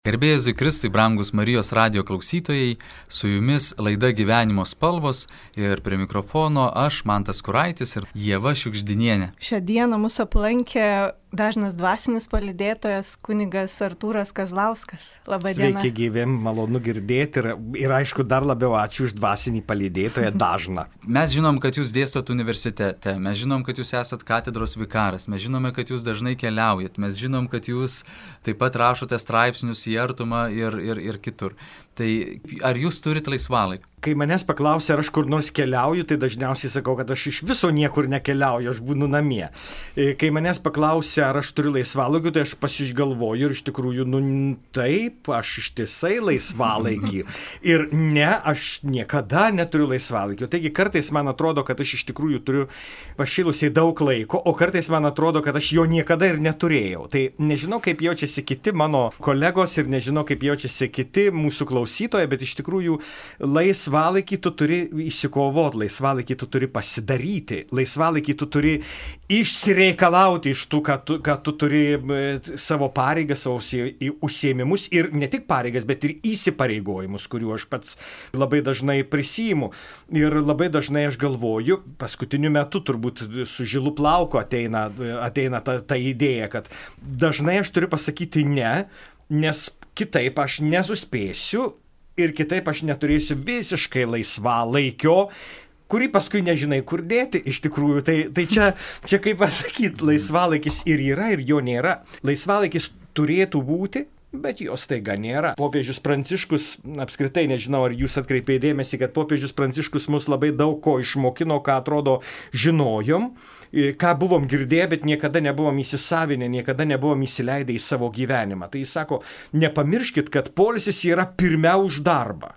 Garbė Jėzui Kristui, brangus Marijos radijo klausytojai, su jumis laida Gyvenimo spalvos ir prie mikrofono aš, Mantas Kuraitis ir Ieva Šiugždinienė. Šią dieną mūsų aplankė dažnas dvasinis palydėtojas kunigas Artūras Kazlauskas. Labą dieną. Sveiki gyvi, malonu girdėti ir aišku dar labiau ačiū už dvasinį palydėtoją dažną. Mes žinom, kad jūs dėstot universitete, mes žinom, kad jūs esat katedros vikaras, mes žinome, kad jūs dažnai keliaujat, mes žinom, kad jūs taip pat rašote straipsnius į Artumą ir kitur. Tai ar jūs turite laisvalaikį? Kai manęs paklausia, ar aš kur nors keliauju, tai dažniausiai sakau, kad aš iš viso niekur nekeliauju, aš būnu namie. Kai manęs paklausia, ar aš turiu laisvalaikį, tai aš pasižgalvoju ir iš tikrųjų, taip, aš ištisai laisvalaikį. Ir ne, aš niekada neturiu laisvalaikio. Taigi kartais man atrodo, kad aš iš tikrųjų turiu pašėlusiai daug laiko, o kartais man atrodo, kad aš jo niekada ir neturėjau. Tai nežinau, kaip jaučiasi kiti mano kolegos ir nežinau, kaip jaučiasi kiti mūsų klausytojai, bet iš tikrųjų laisvalaikį tu turi įsikovoti, laisvalaikį tu turi pasidaryti, laisvalaikį tu turi išsireikalauti iš tų, kad tu turi savo pareigas, savo užsiėmimus ir ne tik pareigas, bet ir įsipareigojimus, kuriuo aš pats labai dažnai prisiimu. Ir labai dažnai aš galvoju, paskutiniu metu turbūt su žilu plauku ateina ta idėja, kad dažnai aš turiu pasakyti ne, nes kitaip aš nesuspėsiu ir kitaip aš neturėsiu visiškai laisvalaikio, kurį paskui nežinai kur dėti iš tikrųjų. Tai čia kaip pasakyti, laisvalaikis ir yra, ir jo nėra. Laisvalaikis turėtų būti, bet jos taiga nėra. Popiežius Pranciškus, apskritai nežinau, ar jūs atkreipėte dėmesį, kad popiežius Pranciškus mus labai daug ko išmokino, ką atrodo žinojom, ką buvom girdėję, bet niekada nebuvom įsisavinę, niekada nebuvom įsileidę į savo gyvenimą. Tai jis sako, nepamirškit, kad poilsis yra pirmiau už darbą.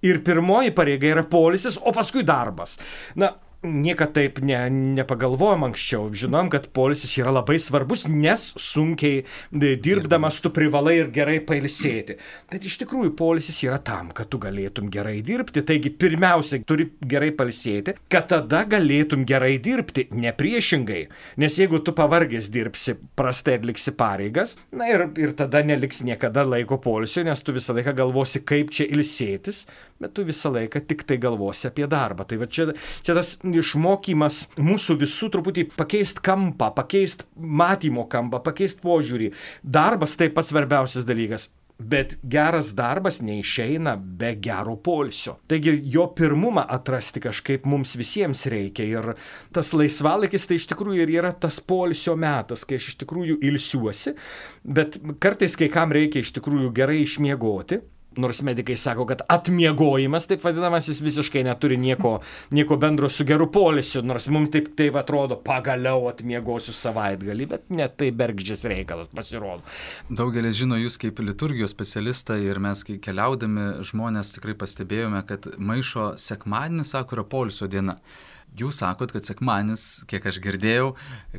Ir pirmoji pareiga yra poilsis, o paskui darbas. Na, niekad taip nepagalvojom anksčiau. Žinom, kad poilsis yra labai svarbus, nes sunkiai dirbdamas tu privalai ir gerai pailsėti. Bet iš tikrųjų poilsis yra tam, kad tu galėtum gerai dirbti. Taigi pirmiausia, turi gerai pailsėti, kad tada galėtum gerai dirbti, ne priešingai. Nes jeigu tu pavargęs dirbsi, prastai atliksi pareigas, na ir tada neliks niekada laiko poilsio, nes tu visą laiką galvosi, kaip čia ilsėtis, bet tu visą laiką tik tai galvosi apie darbą. Tai va čia tas išmokymas mūsų visų truputį pakeisti kampą, pakeisti matymo kampą, pakeisti požiūrį. Darbas tai pats svarbiausias dalykas, bet geras darbas neišeina be gero poilsio. Taigi jo pirmumą atrasti kažkaip mums visiems reikia ir tas laisvalaikis tai iš tikrųjų ir yra tas poilsio metas, kai aš iš tikrųjų ilsiuosi, bet kartais kai kam reikia iš tikrųjų gerai išmiegoti. Nors medikai sako, kad atmiegojimas, taip vadinamas, jis visiškai neturi nieko bendro su geru poilsiu, nors mums taip atrodo, pagaliau atmiegosiu savaitgalį, bet net tai bergždžias reikalas pasirodo. Daugelis žino jūs kaip liturgijos specialistą ir mes, kai keliaudami, žmonės tikrai pastebėjome, kad maišo sekmadienis, sako, yra poilsio diena. Jūs sakot, kad sekmadienis, kiek aš girdėjau,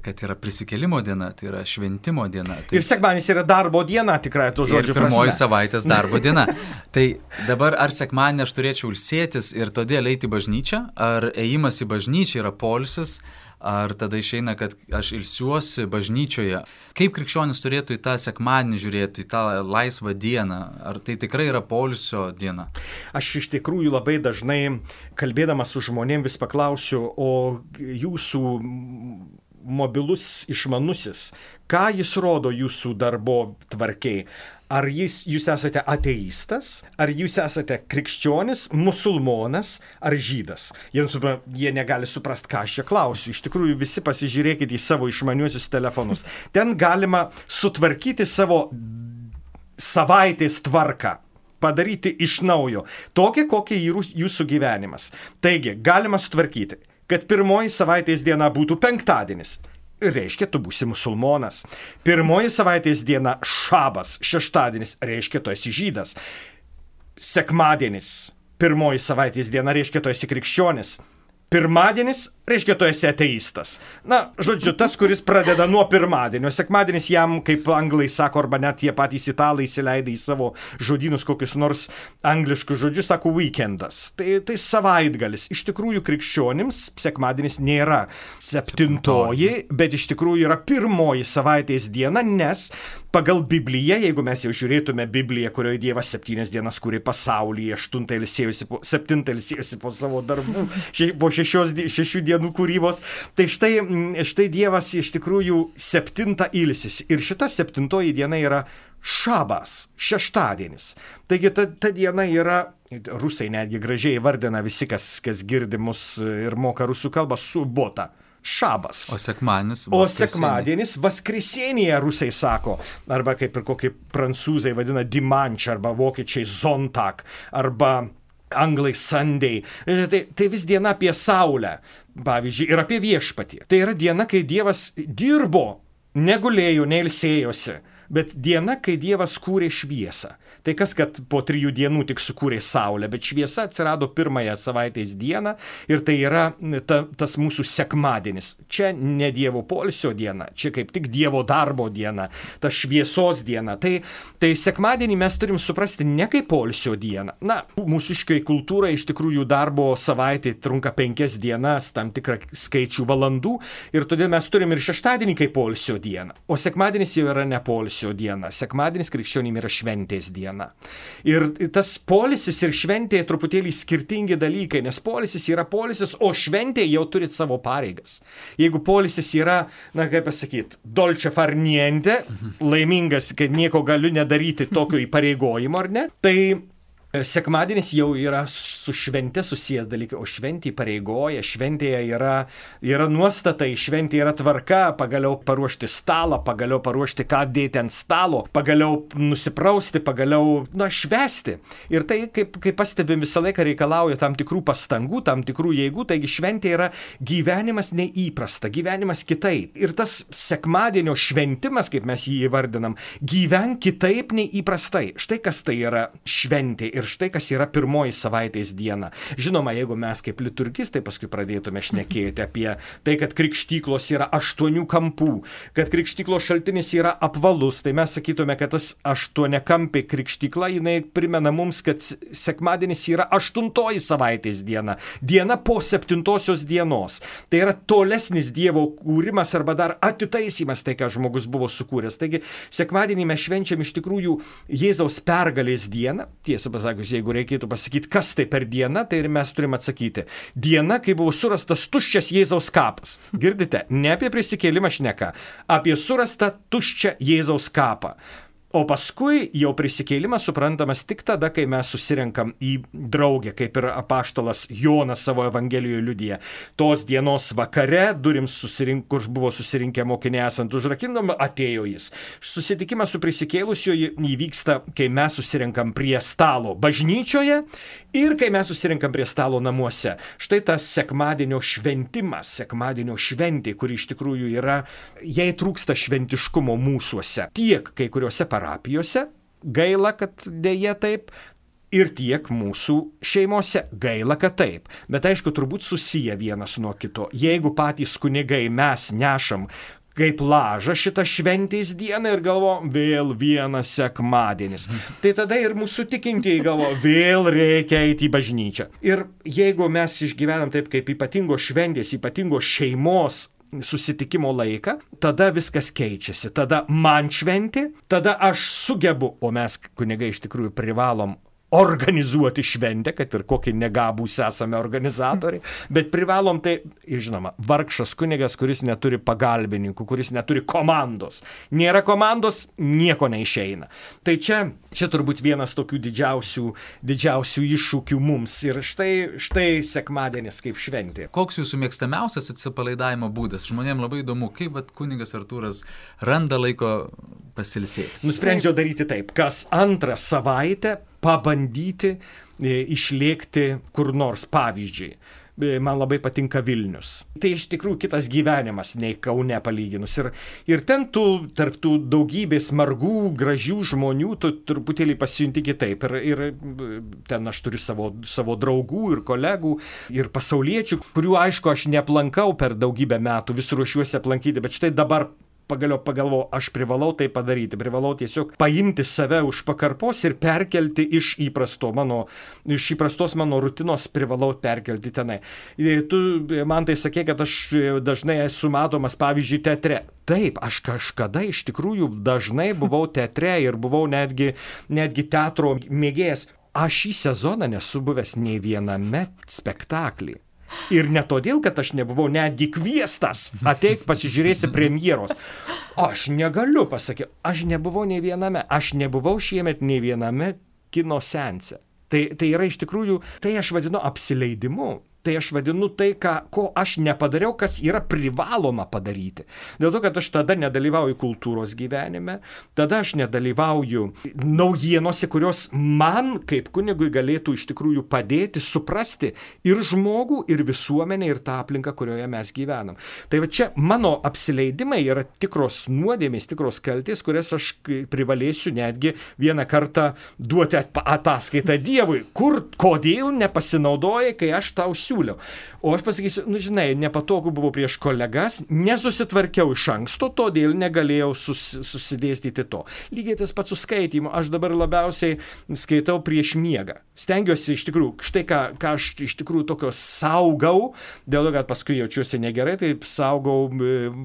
kad yra prisikėlimo diena, tai yra šventimo diena. Tai... Ir sekmadienis yra darbo diena, tikrai to žodžio prasme. Ir pirmoji savaitės darbo diena. Tai dabar ar sekmadienį aš turėčiau ilsėtis ir todėl eiti į bažnyčią, ar ėjimas į bažnyčią yra poilsis, ar tada išeina, kad aš ilsiuosi bažnyčioje. Kaip krikščionis turėtų į tą sekmadienį žiūrėti, į tą laisvą dieną? Ar tai tikrai yra poilsio diena? Aš iš tikrųjų labai dažnai, kalbėdamas su žmonėm, vis paklausiu, o jūsų mobilus išmanusis, ką jis rodo jūsų darbo tvarkiai? Ar jūs esate ateistas, ar jūs esate krikščionis, musulmonas ar žydas? Jie negali suprasti, ką aš čia klausiu. Iš tikrųjų, visi pasižiūrėkite į savo išmaniuosius telefonus. Ten galima sutvarkyti savo savaitės tvarką, padaryti iš naujo, tokia, kokia jūsų gyvenimas. Taigi, galima sutvarkyti, kad pirmoji savaitės diena būtų penktadienis. Reiškia, tu būsi musulmonas. Pirmoji savaitės diena šabas, šeštadienis, reiškia, tu esi žydas. Sekmadienis, pirmoji savaitės diena, reiškia, tu esi krikščionis. Pirmadienis, reiškia, tu esi ateistas. Na, žodžiu, tas, kuris pradeda nuo pirmadienio. Sekmadienis jam, kaip anglai sako, arba net tie patys italai įsileidę į savo žodynus kokius nors angliškus žodžius, sako weekendas. Tai savaitgalis. Iš tikrųjų, krikščionims sekmadienis nėra 7, bet iš tikrųjų yra 1 savaitės diena, nes pagal Bibliją, jeigu mes jau žiūrėtume Bibliją, kurioje Dievas 7 dienas kūrė pasaulį, 7 ilsėjosi po savo darbų, po 6 dienų kūrybos, tai štai Dievas iš tikrųjų 7 ilsisi. Ir šita 7 diena yra šabas, šeštadienis. Taigi ta diena yra, rusai netgi gražiai vardina visi, kas girdi mus ir moka rusų kalbą, subota. Šabas. O sekmadienis? O sekmadienis Vaskresienija, rusai sako, arba kaip ir kokie prancūzai vadina dimanche, arba vokiečiai Sonntag, arba anglai Sunday. Tai vis diena apie saulę, pavyzdžiui, ir apie viešpatį. Tai yra diena, kai Dievas dirbo, negulėjo, neilsėjosi, bet diena, kai Dievas kūrė šviesą. Tai kas, kad po 3 dienų tik sukūrė saulę, bet šviesa atsirado 1 savaitės dieną ir tai yra tas mūsų sekmadienis. Čia ne Dievo poilsio diena, čia kaip tik Dievo darbo diena, ta šviesos diena. Tai sekmadienį mes turim suprasti ne kaip poilsio dieną. Na, mūsiškai kultūrai iš tikrųjų darbo savaitė trunka 5 dienas, tam tikrą skaičių valandų ir todėl mes turim ir šeštadienį kaip poilsio dieną. O sekmadienis jau yra ne poilsio diena. Sekmadienis krikščionim yra šventės diena. Ir tas poilsis ir šventė truputėlį skirtingi dalykai, nes poilsis yra poilsis, o šventė jau turi savo pareigas. Jeigu poilsis yra, na kaip pasakyti, dolce far niente, laimingas, kad nieko galiu nedaryti tokio įpareigojimo, ar ne, tai sekmadienis jau yra su švente susijęs dalykai, o šventė pareigoja, šventėje yra nuostatai, šventėje yra tvarka, pagaliau paruošti stalą, pagaliau paruošti ką dėti ant stalo, pagaliau nusiprausti, pagaliau, švęsti. Ir tai, kaip pastebim, visą laiką reikalauja tam tikrų pastangų, tam tikrų jėgų, taigi šventė yra gyvenimas neįprasta, gyvenimas kitaip. Ir tas sekmadienio šventimas, kaip mes jį įvardinam, gyven kitaip nei įprastai. Štai kas tai yra šventė. Ir štai kas yra 1 savaitės diena. Žinoma, jeigu mes kaip liturgistai paskui pradėtume šnekėti apie tai, kad krikštyklos yra 8 kampų, kad krikštyklos šaltinis yra apvalus, tai mes sakytume, kad tas 8-kampė krikštykla, jinai primena mums, kad sekmadienis yra 8 savaitės diena. Diena po 7 dienos. Tai yra tolesnis Dievo kūrimas arba dar atitaisymas tai, ką žmogus buvo sukūręs. Taigi, sekmadienį mes švenčiam iš tikrųjų Jėzaus pergalės dieną. Tiesą pasakius, jeigu reikėtų pasakyti, kas tai per diena, tai ir mes turim atsakyti. Diena, kai buvo surastas tuščias Jėzaus kapas. Girdite, ne apie prisikėlimą šneka, apie surastą tuščią Jėzaus kapą. O paskui jau prisikėlimas suprantamas tik tada, kai mes susirenkam į draugę, kaip ir apaštalas Jonas savo evangelijoje liudija. Tos dienos vakare, durims kur buvo susirinkę mokiniai esant užrakinam, atėjo jis. Susitikimas su prisikėlusioju įvyksta, kai mes susirenkam prie stalo bažnyčioje ir kai mes susirenkam prie stalo namuose. Štai tas sekmadienio šventimas, sekmadienio šventė, kuri iš tikrųjų yra, jai trūksta šventiškumo mūsuose. Tiek kai kuriuose parapijose, gaila, kad dėja taip, ir tiek mūsų šeimose, gaila, kad taip. Bet aišku, turbūt susiję vienas nuo kito. Jeigu patys kunigai mes nešam kaip lažą šitą šventės dieną ir galvo, vėl vienas sekmadienis. Tai tada ir mūsų tikintieji galvo, vėl reikia eiti į bažnyčią. Ir jeigu mes išgyvenam taip kaip ypatingos šventės, ypatingos šeimos susitikimo laiką, tada viskas keičiasi. Tada man šventė, tada aš sugebu, o mes kunigai iš tikrųjų privalom organizuoti šventę, kad ir kokį negabūs esame organizatoriai, bet privalom tai, žinoma, vargšas kunigas, kuris neturi pagalbininkų, kuris neturi komandos. Nėra komandos, nieko neišeina. Tai čia turbūt vienas tokių didžiausių iššūkių mums. Ir štai sekmadienis kaip šventė. Koks jūsų mėgstamiausias atsipalaidavimo būdas? Žmonėms labai įdomu, kaip kunigas Artūras randa laiko pasilsėti. Nusprendžiau daryti taip, kas antrą savaitę pabandyti išlėkti kur nors, pavyzdžiui. man labai patinka Vilnius. Tai iš tikrųjų kitas gyvenimas nei Kaune palyginus. Ir ten tarp tų daugybės margų, gražių žmonių, tu truputėlį pasijunti kitaip. Ir ten aš turiu savo draugų ir kolegų ir pasauliečių, kurių aišku aš neaplankau per daugybę metų, vis ruošiuosi aplankyti, bet štai dabar pagalvojau, aš privalau tai padaryti, privalau tiesiog paimti save už pakarpos ir perkelti iš įprastos mano rutinos, privalau perkelti tenai. Tu man tai sakė, kad aš dažnai esu matomas, pavyzdžiui, teatre. Taip, aš kažkada iš tikrųjų dažnai buvau teatre ir buvau netgi teatro mėgėjas. Aš šį sezoną nesu buvęs nei viename spektaklį. Ir ne todėl, kad aš nebuvau netgi kviestas, ateik pasižiūrėsi premjeros. Aš negaliu pasakyti, aš nebuvau nei viename, aš nebuvau šiemet nei viename kino seanse. Tai yra iš tikrųjų, tai aš vadinu apsileidimu. Tai aš vadinu tai, ko aš nepadariau, kas yra privaloma padaryti. Dėl to, kad aš tada nedalyvauju kultūros gyvenime, tada aš nedalyvauju naujienose, kurios man kaip kunigui galėtų iš tikrųjų padėti suprasti ir žmogų, ir visuomenę, ir tą aplinką, kurioje mes gyvenam. Tai va čia mano apsileidimai yra tikros nuodėmės, tikros kaltės, kurias aš privalėsiu netgi vieną kartą duoti ataskaitą Dievui. Kodėl nepasinaudojai, kai aš tau siūliau? O aš pasakysiu, žinai, nepatogu buvo prieš kolegas, nesusitvarkiau iš anksto, todėl negalėjau susidėstyti to. Lygiai tas pats su skaitymu, aš dabar labiausiai skaitau prieš miegą. Stengiuosi iš tikrųjų, štai ką aš iš tikrųjų tokio saugau, dėl to, kad paskui jaučiuosi negerai, tai saugau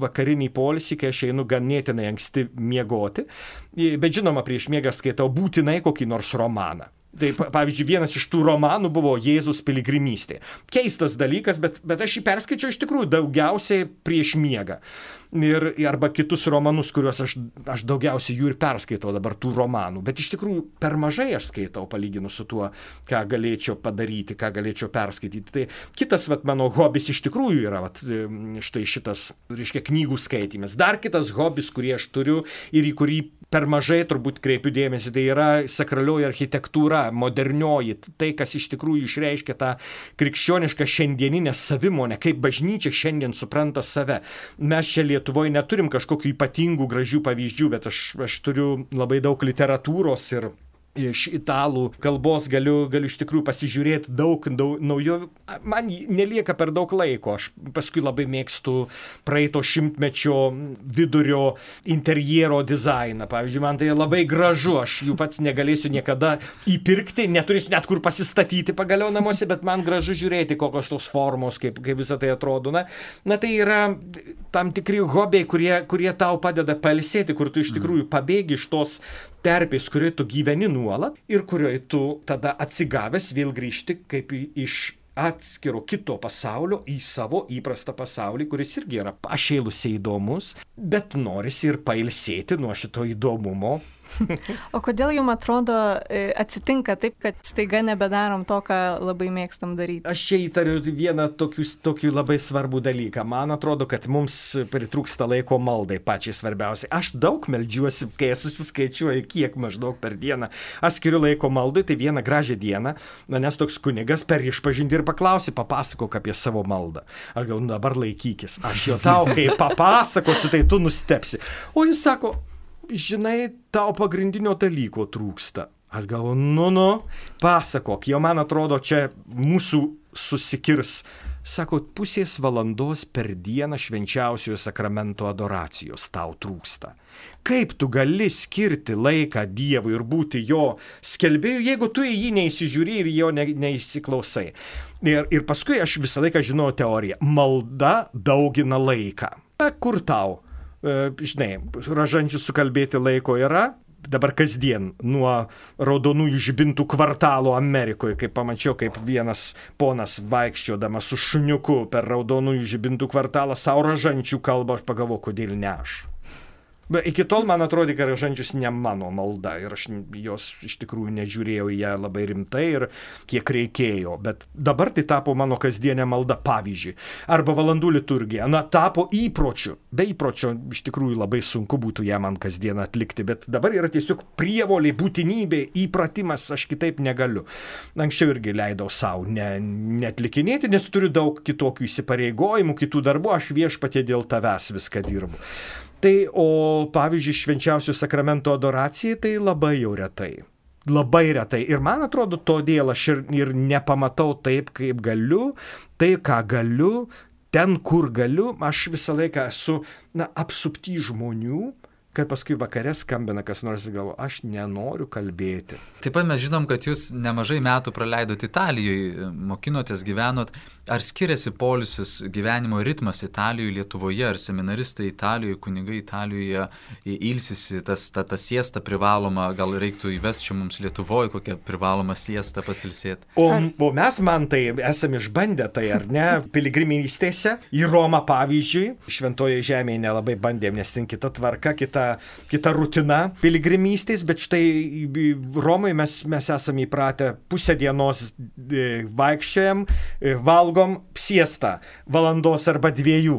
vakarinį poilsį, kai aš einu ganėtinai anksti miegoti. Bet žinoma, prieš miegą skaitau būtinai kokį nors romaną. Tai pavyzdžiui, vienas iš tų romanų buvo Jėzus piligrimystė. Keistas dalykas, bet aš jį perskaičiau iš tikrųjų daugiausiai prieš miegą. Arba kitus romanus, kuriuos aš daugiausiai jų ir perskaitau dabar tų romanų. Bet iš tikrųjų per mažai aš skaitau palyginus su tuo, ką galėčiau padaryti, ką galėčiau perskaityti. Tai kitas mano hobis iš tikrųjų yra štai šitas, reiškia, knygų skaitymas. Dar kitas hobis, kurį aš turiu ir į kurį per mažai turbūt kreipiu dėmesį, tai yra sakralioji architektūra, modernioji, tai, kas iš tikrųjų išreiškia tą krikščionišką šiandieninę savimonę, kaip bažnyčia šiandien supranta save. Mes čia Lietuvoje neturim kažkokių ypatingų gražių pavyzdžių, bet aš turiu labai daug literatūros ir iš italų kalbos galiu iš tikrųjų pasižiūrėti daug naujovių. Man nelieka per daug laiko. Aš paskui labai mėgstu praeito šimtmečio vidurio interjero dizainą. Pavyzdžiui, man tai labai gražu. Aš jų pats negalėsiu niekada įpirkti, neturėsiu net kur pasistatyti pagaliau namuose, bet man gražu žiūrėti, kokios tos formos, kaip visą tai atrodo. Na tai yra tam tikri hobiai, kurie tau padeda pailsėti, kur tu iš tikrųjų pabėgi iš tos terpės, kurioje tu gyveni nuolat ir kurioje tu tada atsigavęs vėl grįžti kaip iš atskiro kito pasaulio į savo įprastą pasaulį, kuris irgi yra pašėlusiai įdomus, bet norisi ir pailsėti nuo šito įdomumo. O kodėl jums atrodo atsitinka taip, kad staiga nebedarom to, ką labai mėgstam daryti? Aš čia įtariu vieną tokį labai svarbų dalyką. Man atrodo, kad mums pritrūksta laiko maldai pačiai svarbiausiai. Aš daug meldžiuosi, kai susiskaičiuoju, kiek maždaug per dieną. Aš skiriu laiko maldai, tai vieną gražią dieną manęs toks kunigas per išpažintį ir paklausė, papasakok apie savo maldą. Aš galvoju, dabar laikykis. Aš jo tau, kai papasakosiu, tai tu nustepsi. O jis sako, žinai, tau pagrindinio dalyko trūksta. Aš galvoju, pasakok, jau man atrodo, čia mūsų susikirs. Sako, pusės valandos per dieną švenčiausiojo sakramento adoracijos tau trūksta. Kaip tu gali skirti laiką Dievui ir būti jo skelbėju, jeigu tu į jį neįsižiūri ir jo neįsiklausai. Ir paskui aš visą laiką žinau teoriją. Malda daugina laiką. Kur tau? Žinai, ražančių sukalbėti laiko yra, dabar kasdien nuo raudonųjų žibintų kvartalo Amerikoje, kaip pamačiau, kaip vienas ponas vaikščiodamas su šuniuku per raudonųjų žibintų kvartalą savo ražančių kalbą, aš pagalvoju, kodėl ne aš. Bet iki tol man atrodė, kad rožančius ne mano malda ir aš jos iš tikrųjų nežiūrėjau į ją labai rimtai ir kiek reikėjo. Bet dabar tai tapo mano kasdienė malda, pavyzdžiui. Arba valandų liturgija. Na, tapo įpročiu. Be įpročio iš tikrųjų labai sunku būtų ją man kasdieną atlikti, bet dabar yra tiesiog prievolė, būtinybė, įpratimas, aš kitaip negaliu. Anksčiau irgi leidau savo neatlikinėti, nes turiu daug kitokių įsipareigojimų, kitų darbų, aš viešpatie dėl tavęs viską dirbu. Tai, o pavyzdžiui, švenčiausių sakramento adoracijai, tai labai jau retai. Labai retai. Ir man atrodo, todėl aš ir nepamatau taip, kaip galiu, tai, ką galiu, ten, kur galiu, aš visą laiką esu, apsupty žmonių, kad paskui vakare skambina kas nors ir galvo, aš nenoriu kalbėti. Taip pat mes žinom, kad jūs nemažai metų praleidot Italijoje, mokinotės, gyvenot. Ar skiriasi poilsis, gyvenimo ritmas Italijoje, Lietuvoje, ar seminaristai Italijoje, kunigai Italijoje ilsisi, ta siesta privaloma, gal reiktų įvesti čia mums Lietuvoje kokią privalomą siestą pasilsėti? O mes, man tai, esame išbandę tai, ar ne, piligrimystėse, į Romą pavyzdžiui, Šventoje žemėje nelabai bandėm, nes ten kita tvarka, kita rutina piligrimystės, bet štai Romoje mes esame įpratę pusę dienos vaikščiojam, valgom siestą valandos arba 2.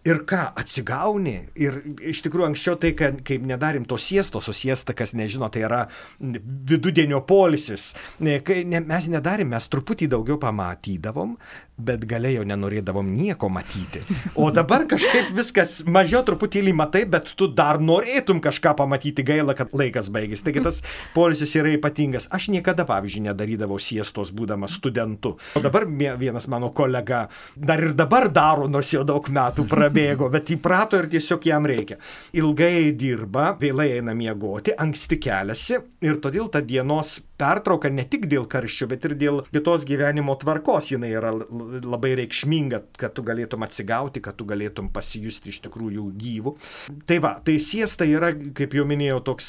Ir ką, atsigauni? Ir iš tikrųjų anksčiau tai, kaip nedarim to siestos, o siesta, kas nežino, tai yra vidudienio poilsis. Mes nedarim, mes truputį daugiau pamatydavom, bet gale jau nenorėdavom nieko matyti. O dabar kažkaip viskas mažiau truputėlį matai, bet tu dar norėtum kažką pamatyti, gaila, kad laikas baigėsi. Taigi tas poilsis yra ypatingas. Aš niekada, pavyzdžiui, nedarydavau siestos būdamas studentu. O dabar vienas mano kolega dar ir dabar daro, nors jau daug metų prabėgo, bet įprato ir tiesiog jam reikia. Ilgai dirba, vėlai eina miegoti, anksti keliasi ir todėl ta dienos pertrauka ne tik dėl karščio, bet ir dėl kitos gyvenimo tvarkos jinai yra labai reikšminga, kad tu galėtum atsigauti, kad tu galėtum pasijusti iš tikrųjų gyvų. Tai va, tai siesta yra, kaip jau minėjau, toks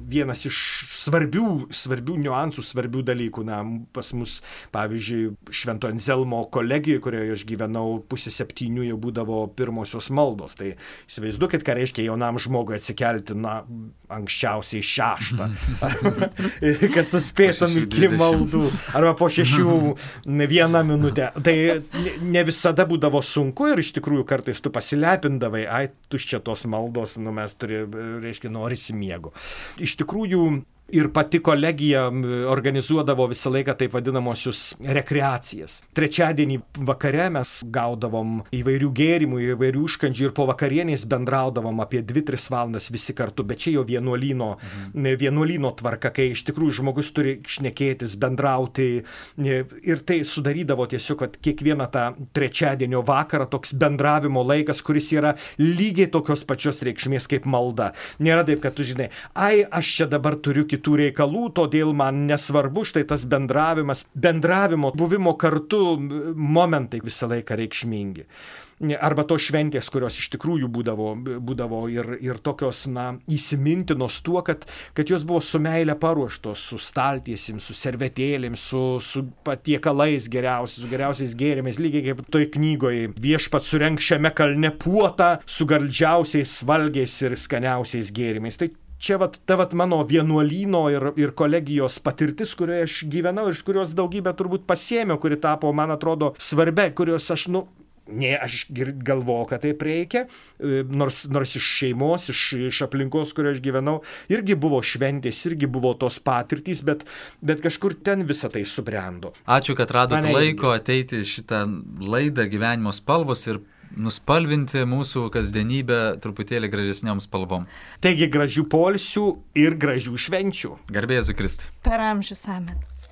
vienas iš svarbių niuansų, svarbių dalykų. Na, pas mus, pavyzdžiui, Švento Anzelmo kolegijoje, kurioje aš gyvenau, 6:30 jau būdavo pirmosios maldos. Tai įsivaizduokit, ką reiškia jaunam žmogui atsikelti, anksčiausiai 6, kad suspėtum iki maldų, arba po 6:01 minutę. Tai ne visada būdavo sunku ir iš tikrųjų kartais tu pasilepindavai, tuščia tos maldos, mes norisi miego. Iš tikrųjų, ir pati kolegija organizuodavo visą laiką taip vadinamosius rekreacijas. Trečiadienį vakare mes gaudavom įvairių gėrimų, įvairių užkandžių ir po vakarienės bendraudavom apie 2-3 valandas visi kartu, bet čia jau vienuolyno tvarka, kai iš tikrųjų žmogus turi šnekėtis, bendrauti ir tai sudarydavo tiesiog, kad kiekvieną tą trečiadienio vakarą toks bendravimo laikas, kuris yra lygiai tokios pačios reikšmės kaip malda. Nėra taip, kad tu žinai, aš čia dabar turiu kitų reikalų, todėl man nesvarbu štai tas bendravimo, buvimo kartu momentai visą laiką reikšmingi. Arba tos šventės, kurios iš tikrųjų būdavo ir tokios, įsimintinos tuo, kad jos buvo su meile paruoštos, su staltiesim, su servetėlėm, su patiekalais geriausiais, su geriausiais gėrimais, lygiai kaip toj knygoje Viešpats surenk šiame kalne puotą su gardžiausiais valgiais ir skaniausiais gėrimais. Tai čia mano vienuolyno ir kolegijos patirtis, kurioje aš gyvenau ir iš kurios daugybę turbūt pasėmiau, kuri tapo, man atrodo, svarbia, kurios aš, aš galvojau, kad taip reikia, nors iš šeimos, iš aplinkos, kurioje aš gyvenau, irgi buvo šventės, irgi buvo tos patirtys, bet kažkur ten visą tai subrendo. Ačiū, kad radot laiko ateiti šitą laidą Gyvenimo spalvos ir nuspalvinti mūsų kasdienybę truputėlį gražesniom spalvom. Taigi gražių poilsių ir gražių švenčių. Garbė Jėzui Kristui. Per amžius amen.